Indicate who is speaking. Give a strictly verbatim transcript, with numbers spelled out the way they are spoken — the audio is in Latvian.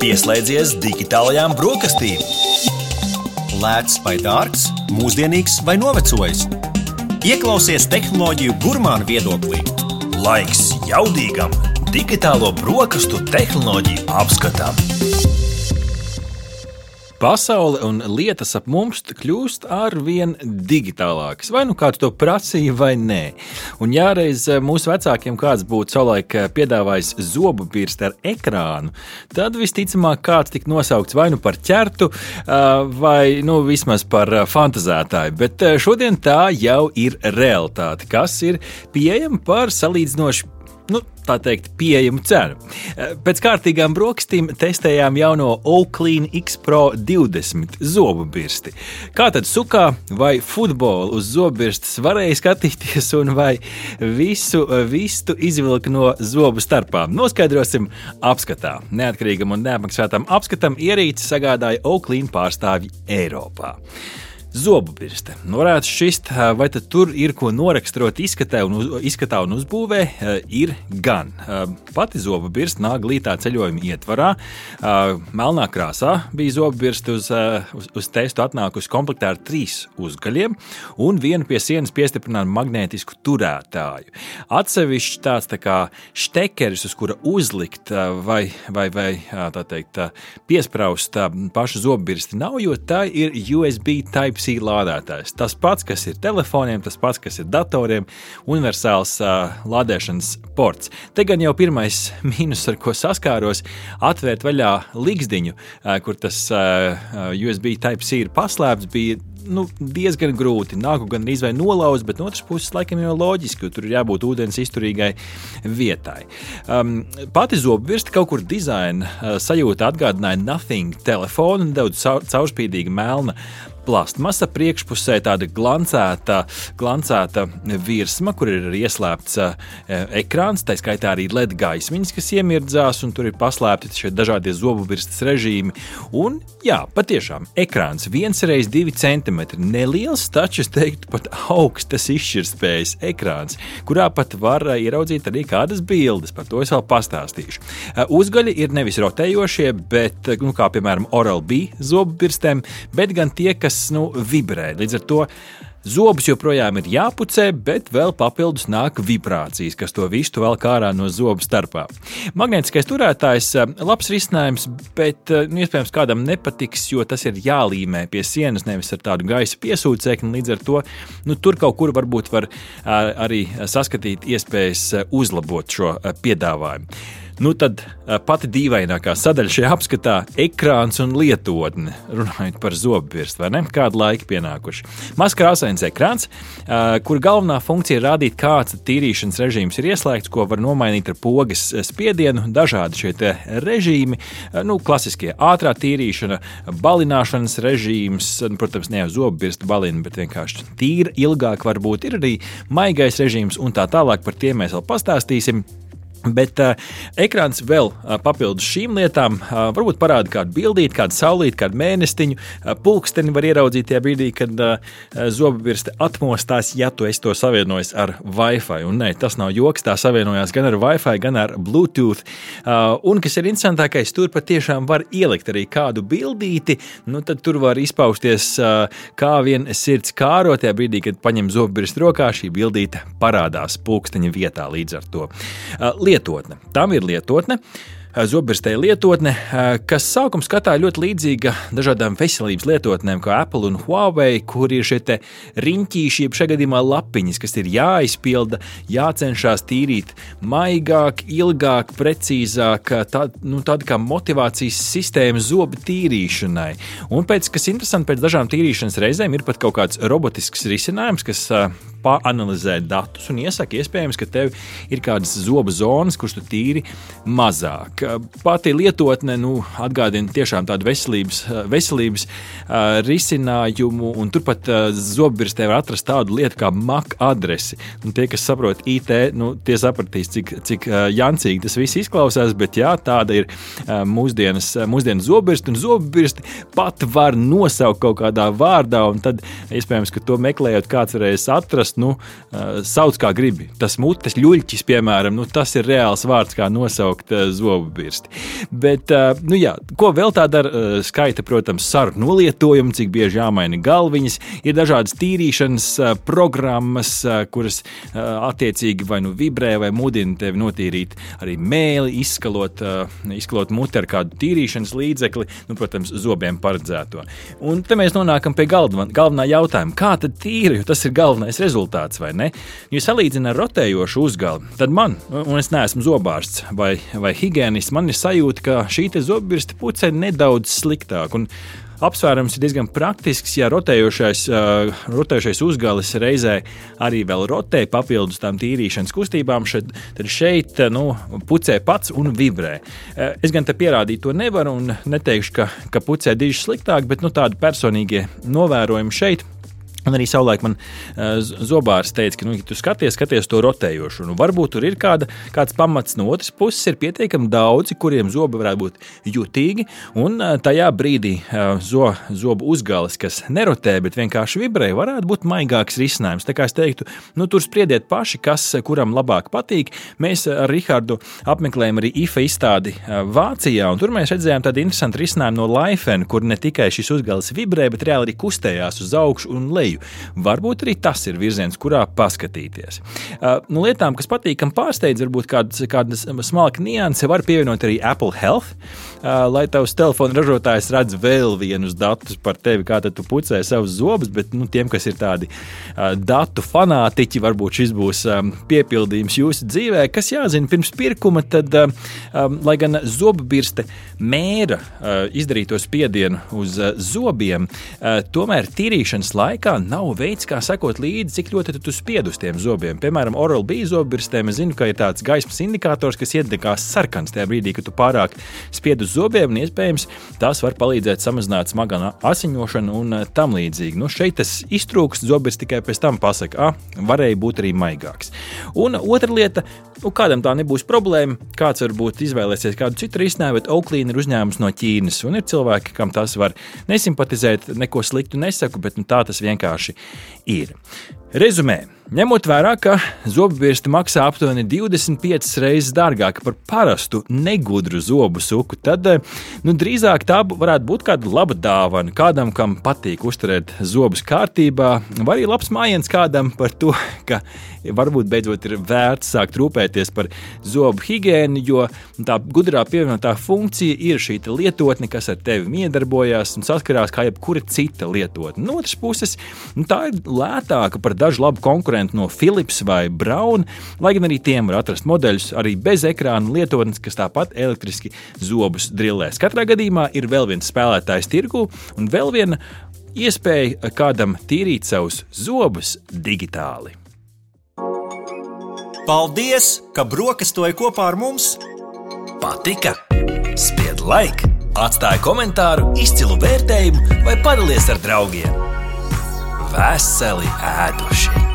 Speaker 1: Pieslēdzies digitālajām brokastīm. Lēts vai dārgs, mūsdienīgs vai novecojis. Ieklausies tehnoloģiju gurmānu viedoklī. Laiks jaudīgam digitālo brokastu tehnoloģiju apskatam.
Speaker 2: Pasaule un lietas ap mums kļūst arvien digitālākas. Vai nu kāds to prasīja vai nē. Un jāreiz mūsu vecākiem kāds būtu savulaik piedāvājis zobu birsti ar ekrānu, tad visticamāk kāds tik nosaukts vai nu par ķertu, vai nu vismaz par fantazētāju. Bet šodien tā jau ir realitāte, kas ir pieejama par salīdzinoši, nu, tā teikt, pieejamu cenu. Pēc kārtīgām brokastīm testējām jauno Oakley X Pro divdesmit zobu birsti. Kā tad sukā vai futbolu uz zobu birstes varēja skatīties un vai visu vistu izvilka no zobu starpām? Noskaidrosim apskatā. Neatkarīgam un neapmaksātam apskatam ierīci sagādāja Oakley pārstāvji Eiropā. Zobu birste. Varētu šķist, vai tad tur ir ko noraksturot izskatā un, uz, izskatā un uzbūvē, ir gan. Pati zobu birste nāk glītā ceļojuma ietvarā. Melnā krāsā bija zobu birste uz, uz, uz testu atnākusi komplektā ar trīs uzgaļiem un vienu pie sienas piestiprinātu magnētisku turētāju. Atsevišķi tāds tā kā štekeris, uz kura uzlikt vai, vai, vai tā teikt, piespraust pašu zobu birsti nav, jo tā ir U S B Type C lādētājs. Tas pats, kas ir telefoniem, tas pats, kas ir datoriem, universāls uh, lādēšanas ports. Te gan jau pirmais mīnus, ar ko saskāros, atvērt vaļā ligzdiņu, uh, kur tas uh, U S B Type C ir paslēpts, bija nu, diezgan grūti. Nāku gan izvai nolauzt, bet no otras puses laikam jau loģiski, jo tur ir jābūt ūdens izturīgai vietai. Um, pati zobu birste kaut kur dizaina uh, sajūta atgādināja Nothing telefonu un daudz caurspīdīga melna plastmasa, priekšpusē tāda glancēta, glancēta virsma, kur ir ieslēpts uh, ekrāns, tā skaitā arī L E D gaismiņas, kas iemirdzās, un tur ir paslēpti šie dažādie zobu birstes režīmi. Un, jā, patiešām, ekrāns viens reiz divi centimetri, neliels, taču, es teiktu, pat augstas izšķirtspējas ekrāns, kurā pat var uh, ieraudzīt arī kādas bildes, par to es vēl pastāstīšu. Uh, uzgaļi ir nevis rotējošie, bet, nu, kā piemēram Oral-B zobu birstēm, bet gan tie, kas nu, vibrē. Līdz ar to zobus joprojām ir jāpucē, bet vēl papildus nāk vibrācijas, kas to vistu vēl kārā no zobu starpā. Magnētiskais turētājs labs risinājums, bet nu, iespējams kādam nepatiks, jo tas ir jālīmē pie sienas, nevis ar tādu gaisa piesūcekni. Līdz ar to nu, tur kaut kur varbūt var arī saskatīt iespējas uzlabot šo piedāvājumu. Nu tad pati dīvainākā sadaļa šajā apskatā - ekrāns un lietotne, runājot par zobu birsti, vai ne? Kādu laiku pienākuši. Mazs krāsains ekrāns, kur galvenā funkcija ir rādīt, kāds tīrīšanas režīms ir ieslēgts, ko var nomainīt ar pogas spiedienu, dažādi šie te režīmi, nu, klasiskie ātrā tīrīšana, balināšanas režīms, protams, ne jau zobu birsti balina, bet vienkārši tīra ilgāk varbūt ir arī maigais režīms un tā tālāk, par tiem mēs vēl pastāstīsim. Bet uh, ekrāns vēl uh, papildus šīm lietām uh, varbūt parāda kādu bildīti, kādu saulīti, kādu mēnestiņu, uh, pulksteni var ieraudzīt tajā brīdī, kad uh, zobu birste atmostās, ja tu esi to savienojis ar Wi-Fi. Un nē, tas nav joks, tā savienojās gan ar Wi-Fi, gan ar Bluetooth. Uh, un, kas ir interesantākais, tur patiešām var ielikt arī kādu bildīti, nu tad tur var izpausties uh, kā vien sirds kāro, tajā brīdī, kad paņem zobu birsti rokā, šī bildīte parādās pulksteņa vietā līdz ar to. Uh, Lietotne. Tam ir lietotne. Zobbirstē lietotne, kas sākuma skatā ļoti līdzīga dažādām veselības lietotnēm, kā Apple un Huawei, kur ir šie te riņķīši, jeb šajā gadījumā lapiņas, kas ir jāizpilda, jācenšas tīrīt maigāk, ilgāk, precīzāk, tā, nu, tāda kā motivācijas sistēma zobu tīrīšanai. Un pēc, kas interesanti, pēc dažām tīrīšanas reizēm ir pat kaut kāds robotisks risinājums, kas paanalizē datus un iesaka iespējams, ka tev ir kādas zobu zonas, kurš tu tīri mazāk. Pati lietotne nu, atgādina tiešām tādu veselības, veselības uh, risinājumu, un turpat uh, zobbirstē var atrast tādu lietu kā M A C adresi. Un tie, kas saprot I T, nu, tie sapratīs, cik, cik uh, jancīgi tas viss izklausās, bet jā, tāda ir uh, mūsdienas, mūsdienas zobbirsti, un zobbirsti pat var nosaukt kaut kādā vārdā, un tad iespējams, ka to meklējot kāds varēs atrast, parasti, nu, sauc kā gribi. Tas mutes ļuļķis, piemēram, nu, tas ir reāls vārds, kā nosaukt zobu birsti. Bet, nu jā, ko vēl tā dara? Skaita, protams, saru nolietojumu, cik bieži jāmaina galviņas. Ir dažādas tīrīšanas programmas, kuras attiecīgi vai nu vibrē, vai mudina tevi notīrīt arī mēli, izskalot, izskalot muti ar kādu tīrīšanas līdzekli, nu, protams, zobiem paredzēto. Un te mēs nonākam pie galvenā, galvenā jautājuma. Kā tad tīra, jo tas ir galvenais rezultāts, vai ne? Ja salīdzina ar rotējošu uzgali, tad man, un es neesmu zobārsts vai, vai higienists, man ir sajūta, ka šī te zobbirste pucē nedaudz sliktāk. Un apsvērums ir diezgan praktisks, ja rotējošais, uh, rotējošais uzgalis reizē arī vēl rotē papildus tām tīrīšanas kustībām, šeit, tad šeit nu, pucē pats un vibrē. Uh, es gan te pierādīt to nevaru un neteikšu, ka, ka pucē diži sliktāk, bet nu, tādi personīgie novērojumi šeit. Un arī savulaik man uh, zobārs teica, ka, nu, ja tu skaties, skaties to rotējošu, nu, varbūt tur ir kāda, kāds pamats no otras puses, ir pietiekami daudzi, kuriem zobi varētu būt jutīgi, un uh, tajā brīdī uh, zo, zobu uzgalis, kas nerotē, bet vienkārši vibrē, varētu būt maigāks risinājums. Tā kā es teiktu, nu, tur spriediet paši, kas kuram labāk patīk. Mēs ar Rihardu apmeklējam arī I F A izstādi uh, Vācijā, un tur mēs redzējām tādu interesantu risinājumu no Laifen, kur ne tikai šis uzgalis vibrē, bet reāli arī kustējās uz augšu un leju. Varbūt arī tas ir virziens, kurā paskatīties. Uh, nu, lietām, kas patīkam pārsteidz, varbūt kādas, kādas smalka nianse, var pievienot arī Apple Health, uh, lai tavs telefona ražotājs redz vēl vienus datus par tevi, kā tad tu pucē savus zobus, bet nu, tiem, kas ir tādi uh, datu fanātiķi, varbūt šis būs um, piepildījums jūsu dzīvē. Kas jāzina pirms pirkuma, tad, uh, um, lai gan zobbirste mēra uh, izdarīto spiedienu uz uh, zobiem, uh, tomēr tīrīšanas laikā nav veids, kā sekot līdzi, cik ļoti tu spied uz tiem zobiem. Piemēram, Oral-B zobbirstēm es zinu, ka ir tāds gaismas indikators, kas iedegās sarkans tajā brīdī, kad tu pārāk spied uz zobiem, un iespējams tās var palīdzēt samazināt smagā asiņošanu un tam līdzīgi. Nu, šeit tas iztrūkst, zobbirsts tikai pēc tam pasaka, ah, varēja būt arī maigāks. Un otra lieta, nu, kādam tā nebūs problēma, kāds varbūt izvēlēsies kādu citu risinājumu, bet Oakley ir uzņēmums no Ķīnas, un ir cilvēki, kam tas var nesimpatizēt, neko sliktu nesaku, bet nu, tā tas vienkārši ir. Rezumē. Ņemot vērā, ka zobbirste maksā aptuveni divdesmit piecas reizes dārgāk par parastu negudru zobu suku, tad nu, drīzāk tā varētu būt kāda laba dāvana kādam, kam patīk uzturēt zobus kārtībā, vai arī labs mājiens kādam par to, ka varbūt beidzot ir vērts sākt rūpēties par zobu higiēnu, jo tā gudrā pievienotā funkcija ir šī lietotne, kas ar tevi miedarbojās un saskarās kā jebkura cita lietotne. No otras puses, nu, tā ir lētāka par dažu labu konkurentu no Philips vai Braun, lai gan arī tiem var atrast modeļus arī bez ekrāna lietotnes, kas tāpat elektriski zobus drillēs. Katrā gadījumā ir vēl viens spēlētājs tirgū un vēl viena iespēja kādam tīrīt savus zobus digitāli.
Speaker 1: Paldies, ka brokastoji kopā ar mums! Patika? Spied like, atstāj komentāru, izcilu vērtējumu vai padalies ar draugiem. Veseli ēduši!